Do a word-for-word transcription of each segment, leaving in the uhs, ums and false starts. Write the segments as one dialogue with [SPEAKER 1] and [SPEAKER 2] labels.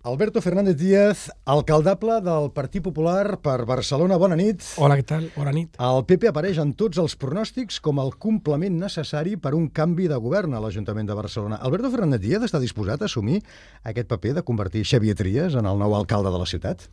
[SPEAKER 1] Alberto Fernández Díaz, alcaldable del Partit Popular per Barcelona. Bona nit.
[SPEAKER 2] Hola, què tal? Bona nit.
[SPEAKER 1] El P P apareix en tots els pronòstics com el complement necessari per un canvi de govern a l'Ajuntament de Barcelona. Alberto Fernández Díaz està disposat a assumir aquest paper de convertir Xavier Trias en el nou alcalde de la ciutat?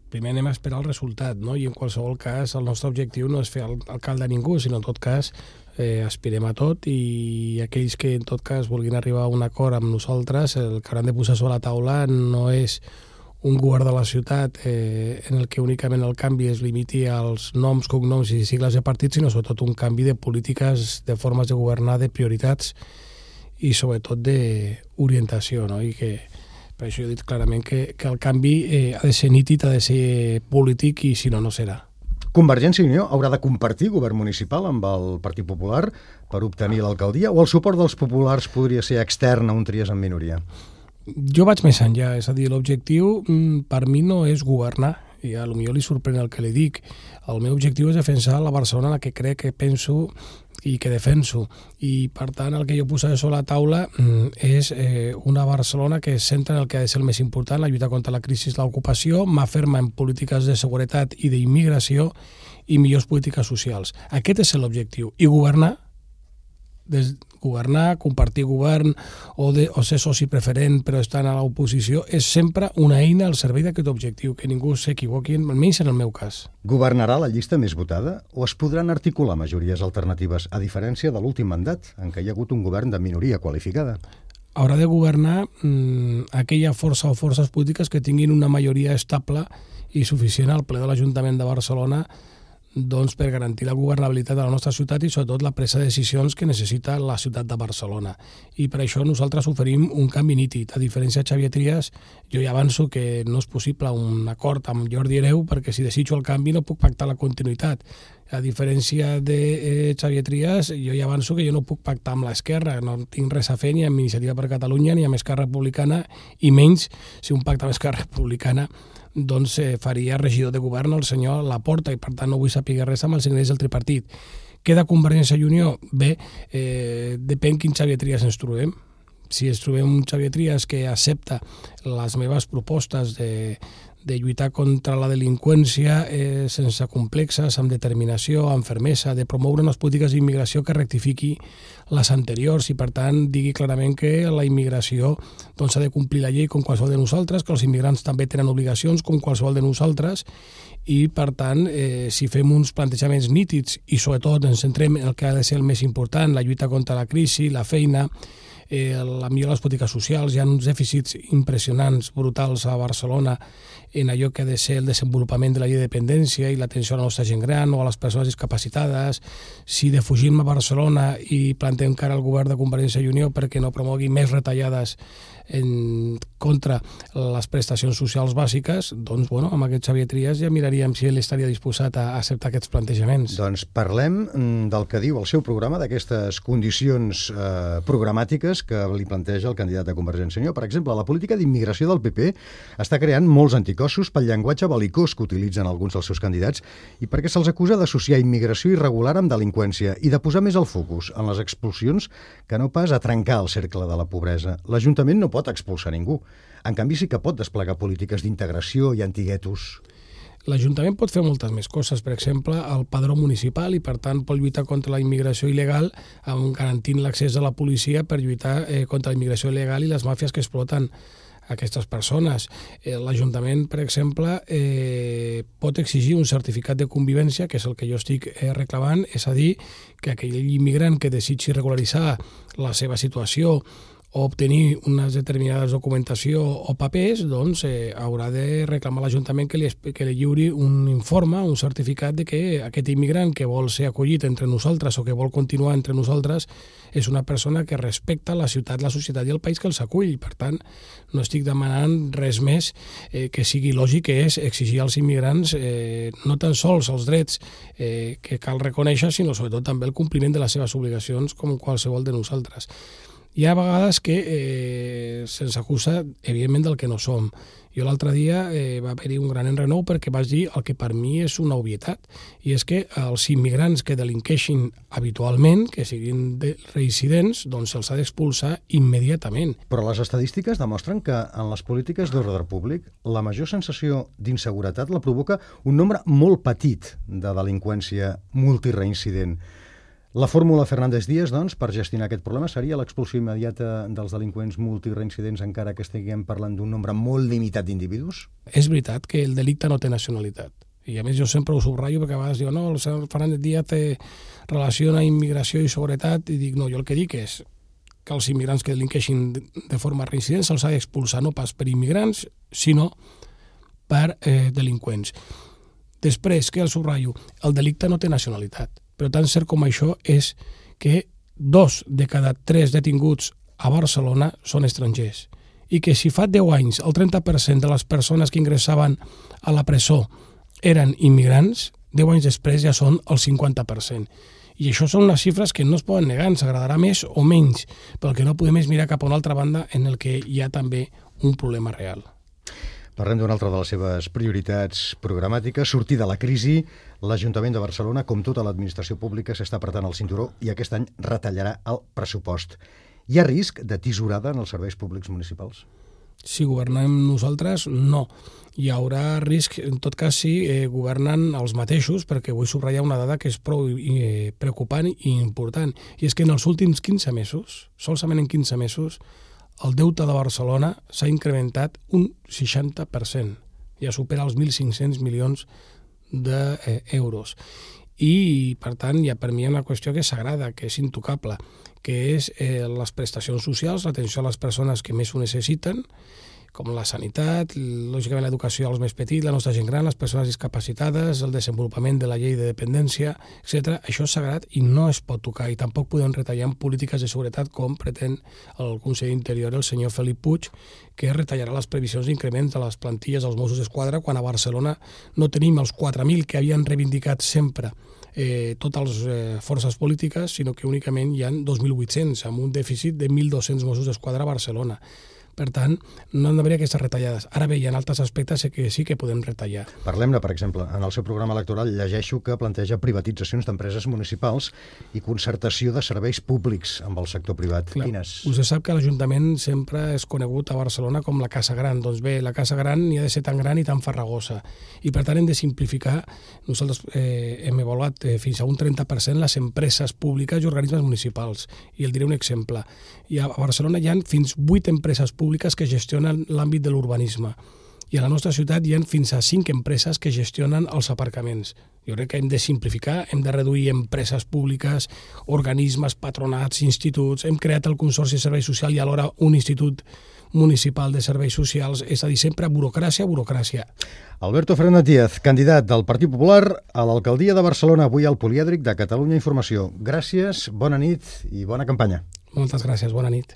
[SPEAKER 2] Primer anem a esperar el resultat, no? I en qualsevol cas el nostre objectiu no és fer alcalde a ningú, sinó en tot cas eh, aspirem a tot, i aquells que en tot cas vulguin arribar a un acord amb nosaltres, el que hauran de posar sobre la taula no és un govern de la ciutat eh, en el que únicament el canvi es limiti als noms, cognoms i sigles de partit, sinó sobretot un canvi de polítiques, de formes de governar, de prioritats i sobretot d'orientació, no? I que per això he dit clarament que, que el canvi eh, ha de ser nítid, ha de ser polític, i si no, no serà.
[SPEAKER 1] Convergència i Unió haurà de compartir govern municipal amb el Partit Popular per obtenir l'alcaldia, o el suport dels populars podria ser extern a un Trias en minoria?
[SPEAKER 2] Jo vaig més enllà, és a dir, l'objectiu per mi no és governar, i a lo millor li sorprèn el que li dic. El meu objectiu és defensar la Barcelona en la que crec, que penso i que defenso, i per tant el que jo posaré sobre la taula és eh, una Barcelona que es centra en el que ha de ser el més important, la lluita contra la crisi, l'ocupació, m'aferma en polítiques de seguretat i d'immigració i millors polítiques socials. Aquest és l'objectiu. I governar, des, governar, compartir govern o, de, o ser soci preferent però estar a l'oposició és sempre una eina al servei d'aquest objectiu, que ningú s'equivoqui, almenys en el meu cas.
[SPEAKER 1] Governarà la llista més votada o es podran articular majories alternatives, a diferència de l'últim mandat, en què hi ha hagut un govern de minoria qualificada?
[SPEAKER 2] Haurà de governar mmm, aquella força o forces polítiques que tinguin una majoria estable i suficient al ple de l'Ajuntament de Barcelona, doncs, per garantir la governabilitat de la nostra ciutat i sobretot la presa de decisions que necessita la ciutat de Barcelona. I per això nosaltres oferim un canvi nítid. A diferència de Xavier Trias, jo ja avanço que no és possible un acord amb Jordi Hereu, perquè si desitjo el canvi no puc pactar la continuïtat. A diferència de eh, Xavier Trias, jo ja avanço que jo no puc pactar amb l'esquerra, no tinc res a fer ni amb Iniciativa per Catalunya ni amb Esquerra Republicana, i menys si un pacte amb Esquerra Republicana doncs eh, faria regidor de govern el senyor Laporta, i per tant no vull saber res amb els ingredients del tripartit. Queda Convergència i Unió? Bé, eh, depèn quin Xavier Trias ens trobem. Si ens trobem un Xavier Trias que accepta les meves propostes de, de lluitar contra la delinqüència eh, sense complexes, amb determinació, amb fermesa, de promoure unes polítiques d'immigració que rectifiqui les anteriors i, per tant, digui clarament que la immigració doncs, ha de complir la llei com qualsevol de nosaltres, que els immigrants també tenen obligacions com qualsevol de nosaltres, i, per tant, eh, si fem uns plantejaments nítids i, sobretot, ens centrem en el que ha de ser el més important, la lluita contra la crisi, la feina, Eh, la millora de les polítiques socials, hi ha uns dèficits impressionants, brutals a Barcelona en allò que ha de ser el desenvolupament de la llei de dependència i l'atenció a la nostra gent gran o a les persones discapacitades. Si defugim a Barcelona i plantem cara al govern de Convergència i Unió perquè no promogui més retallades en contra les prestacions socials bàsiques, doncs, bueno, amb aquest Xavier Trias ja miraríem si ell estaria disposat a acceptar aquests plantejaments.
[SPEAKER 1] Doncs parlem del que diu el seu programa, d'aquestes condicions eh, programàtiques que li planteja el candidat de Convergència i Unió. Per exemple, la política d'immigració del P P està creant molts anticossos pel llenguatge belicós que utilitzen alguns dels seus candidats i perquè se'ls acusa d'associar immigració irregular amb delinqüència i de posar més el focus en les expulsions que no pas a trencar el cercle de la pobresa. L'Ajuntament no pot expulsar ningú. En canvi, sí que pot desplegar polítiques d'integració i antiguetos.
[SPEAKER 2] L'Ajuntament pot fer moltes més coses, per exemple, el padró municipal, i per tant pot lluitar contra la immigració il·legal garantint l'accés de la policia per lluitar eh, contra la immigració il·legal i les màfies que exploten aquestes persones. Eh, L'Ajuntament, per exemple, eh, pot exigir un certificat de convivència, que és el que jo estic eh, reclamant, és a dir, que aquell immigrant que desitgi regularitzar la seva situació o obtenir unes determinades documentació o papers, doncs eh, haurà de reclamar a l'Ajuntament que li, que li lliuri un informe, un certificat de que aquest immigrant que vol ser acollit entre nosaltres o que vol continuar entre nosaltres és una persona que respecta la ciutat, la societat i el país que els acull. Per tant, no estic demanant res més eh, que sigui lògic, que és exigir als immigrants eh, no tan sols els drets eh, que cal reconèixer, sinó sobretot també el compliment de les seves obligacions com qualsevol de nosaltres. Hi ha vegades que eh, se'ns acusa, evidentment, del que no som. Jo l'altre dia eh, va haver-hi un gran enrenou perquè vaig dir el que per mi és una obvietat, i és que els immigrants que delinqueixin habitualment, que siguin de reincidents, doncs se'ls ha d'expulsar immediatament.
[SPEAKER 1] Però les estadístiques demostren que en les polítiques d'ordre públic la major sensació d'inseguretat la provoca un nombre molt petit de delinqüència multireincident. La fórmula Fernández Díaz, doncs, per gestionar aquest problema seria l'expulsió immediata dels delinqüents multireincidents, encara que estiguem parlant d'un nombre molt limitat d'individus?
[SPEAKER 2] És veritat que el delicte no té nacionalitat. I a més jo sempre ho subratllo perquè a vegades diu no, el senyor Fernández Díaz té relaciona immigració i seguretat, i dic no, jo el que dic és que els immigrants que delinqueixin de forma reincident se'ls ha d'expulsar no pas per immigrants, sinó per eh, delinqüents. Després, que el subratllo, el delicte no té nacionalitat. Però tan cert com això és que dos de cada tres detinguts a Barcelona són estrangers, i que si fa deu anys el trenta per cent de les persones que ingressaven a la presó eren immigrants, deu anys després ja són el cinquanta per cent. I això són unes xifres que no es poden negar, ens agradarà més o menys, però el que no podem és mirar cap a una altra banda en el que hi ha també un problema real.
[SPEAKER 1] Parlem d'una altra de les seves prioritats programàtiques, sortir de la crisi. L'Ajuntament de Barcelona, com tota l'administració pública, s'està apretant el cinturó i aquest any retallarà el pressupost. Hi ha risc de tisorada en els serveis públics municipals?
[SPEAKER 2] Si governem nosaltres, no. Hi haurà risc, en tot cas, si eh, governen els mateixos, perquè vull subratllar una dada que és prou eh, preocupant i important, i és que en els últims quinze mesos, solament en quinze mesos, el deute de Barcelona s'ha incrementat un seixanta per cent. Ja supera els mil cinc-cents milions d'euros. I, per tant, ja per mi hi ha una qüestió que és sagrada, que és intocable, que és eh, les prestacions socials, l'atenció a les persones que més ho necessiten, com la sanitat, lògicament l'educació als més petits, la nostra gent gran, les persones discapacitades, el desenvolupament de la llei de dependència, etcètera. Això és sagrat i no es pot tocar, i tampoc podem retallar en polítiques de seguretat com pretén el conseller d'Interior, el senyor Felip Puig, que retallarà les previsions d'increment de les plantilles dels Mossos d'Esquadra quan a Barcelona no tenim els quatre mil que havien reivindicat sempre eh, totes les eh, forces polítiques, sinó que únicament hi ha dos mil vuit-cents, amb un dèficit de mil dos-cents Mossos d'Esquadra a Barcelona. Per tant, no han d'haver aquestes retallades. Ara bé, hi ha altres aspectes que sí que podem retallar.
[SPEAKER 1] Parlem-ne, per exemple, en el seu programa electoral llegeixo que planteja privatitzacions d'empreses municipals i concertació de serveis públics amb el sector privat.
[SPEAKER 2] Clar,
[SPEAKER 1] Quines?
[SPEAKER 2] Vostè sap que l'Ajuntament sempre és conegut a Barcelona com la Casa Gran. Doncs bé, la Casa Gran ni ha de ser tan gran i tan farragosa. I per tant hem de simplificar. Nosaltres eh, hem avaluat eh, fins a un trenta per cent les empreses públiques i organismes municipals. I el diré un exemple. I a Barcelona hi ha fins vuit empreses públiques públiques que gestionen l'àmbit de l'urbanisme. I a la nostra ciutat hi ha fins a cinc empreses que gestionen els aparcaments. Jo crec que hem de simplificar, hem de reduir empreses públiques, organismes, patronats, instituts. Hem creat el Consorci de Serveis Socials i alhora un institut municipal de serveis socials, és a dir, sempre burocràcia, burocràcia.
[SPEAKER 1] Alberto Fernández Díaz, candidat del Partit Popular a l'alcaldia de Barcelona, avui al Polièdric de Catalunya Informació. Gràcies, bona nit i bona campanya.
[SPEAKER 2] Moltes gràcies, bona nit.